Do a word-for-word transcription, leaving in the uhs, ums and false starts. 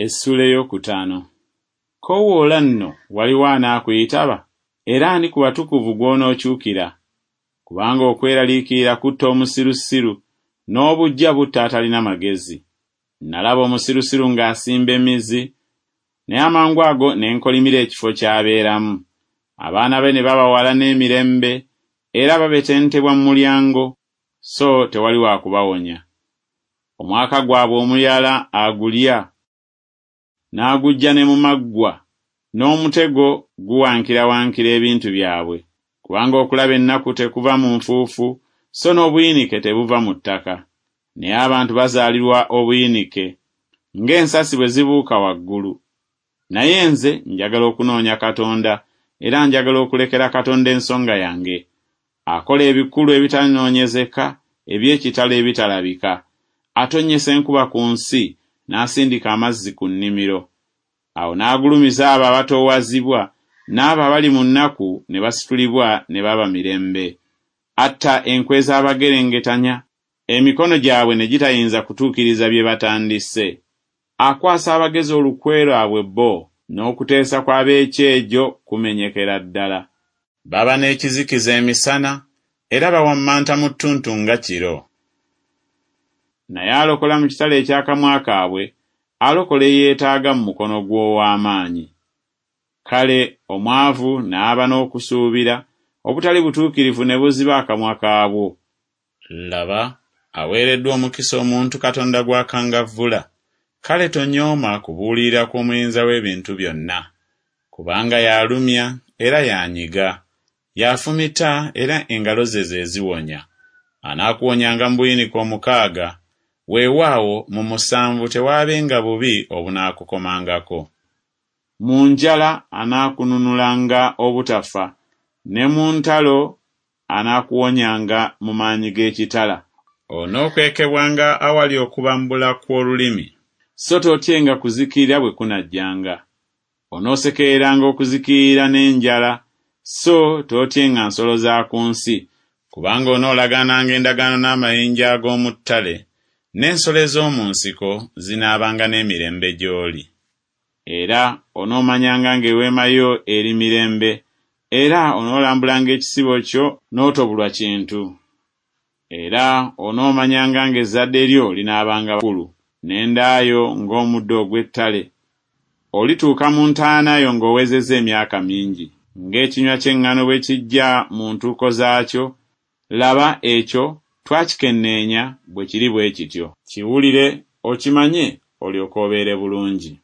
Essuula ey'okutaano. Koowoola nno waliwo anaakuyitaba, era ani ku batukuvu gw'onookyukira? Kubanga okweraliikirira kutta omusirusiru, n'obuggya butta atalina magezi. Nalaba omusirusiru ng'asimba emmizi, naye amangu ago ne nkolimira ekifo ky'abeeramu. Abaana be ne baba wala n'emirembe, era babetentebwa mu mulyango, so tewali wa kubawonya. Omwaka gwabwe omuyala agulya, n'aguggya ne mu maggwa, n'omutego guwankirawankira ebintu byabwe. Kubanga okulaba ennaku tekuva mu nfuufu, so n'obuyinike tebuva mu ttaka. Naye abantu bazaalirwa obuyinike, ng'ensasi bwe zibuuka waggulu. Naye nze njagala okunoonya Katonda, era njagala okulekera Katonda ensonga yange. Akola ebikulu ebitanoonyezeka, eby'ekitalo ebitalabika. Atonnyesa enkuba ku nsi, n'asindika amazzi ku nnimiro. Awo n'agulumiza abo abatoowazibwa, n'abo abali mu nnaku ne basitulibwa ne baba mirembe. Atta enkwe z'abagerengetanya, emikono gyabwe ne gitayinza kutuukiriza bye batandise. Akwasa abagezi olukwe lwabwe bo, n'okuteesa kw'ab'ekyejo kumenyekera ddala. Baba n'ekizikiza emisana, era bawammanta mu ttuntu nga kiro. Naye alokola mu kitala eky'akamwa kaabwe, alokola eyeetaaga mu mukono gw'ow'amaanyi. Kale omwavu n'aba n'okusuubira, obutali butuukirivu ne buziba akamwa kaabwo. Laba, aweereddwa omukisa omuntu Katonda gw'akangavvula. Kale tonyooma kubuulirira kw'Omuyinza w'ebintu byonna. Kubanga y'alumya era y'anyiga, y'afumita era engalo ze ze ziwonya. Anaakuwonyanga mu buyinike omukaaga, weewaawo mu musanvu tewaabenga bubi obunaakukomangako. Mu njala anaakununulanga obutafa, ne mu ntalo anaakuwonyanga mu maanyi g'ekitala. Onookwekebwanga awali okubambula kw'olulimi, so tootyenga kuzikirira bwe kunajjanga. Onoosekereranga okuzikirira n'enjala, so tootyenga nsolo za ku nsi, kubanga onoolagananga endagaano n'amayinja ag'omu ttale, n'ensolo ez'omu nsiko zinaabanga n'emirembe gy'oli. Era onoomanyanga ng'eweema yo eri mirembe, era onoolambulanga ekisibo kyo n'otobulwa kintu. Era onoomanyanga ng'ezzadde lyo linaabanga kkulu, n'enda yo ng'omuddo ogw'ettale. Olituuka mu ntaana yo ng'owezezza emyaka mingi, ng'ekinywa ky'eŋŋano bwe kijja mu ntuuko zaakyo. Laba, ekyo twakikenneenya, bwe kiri bwe kityo. Kiwulire, okimanye, olyoke obeere bulungi.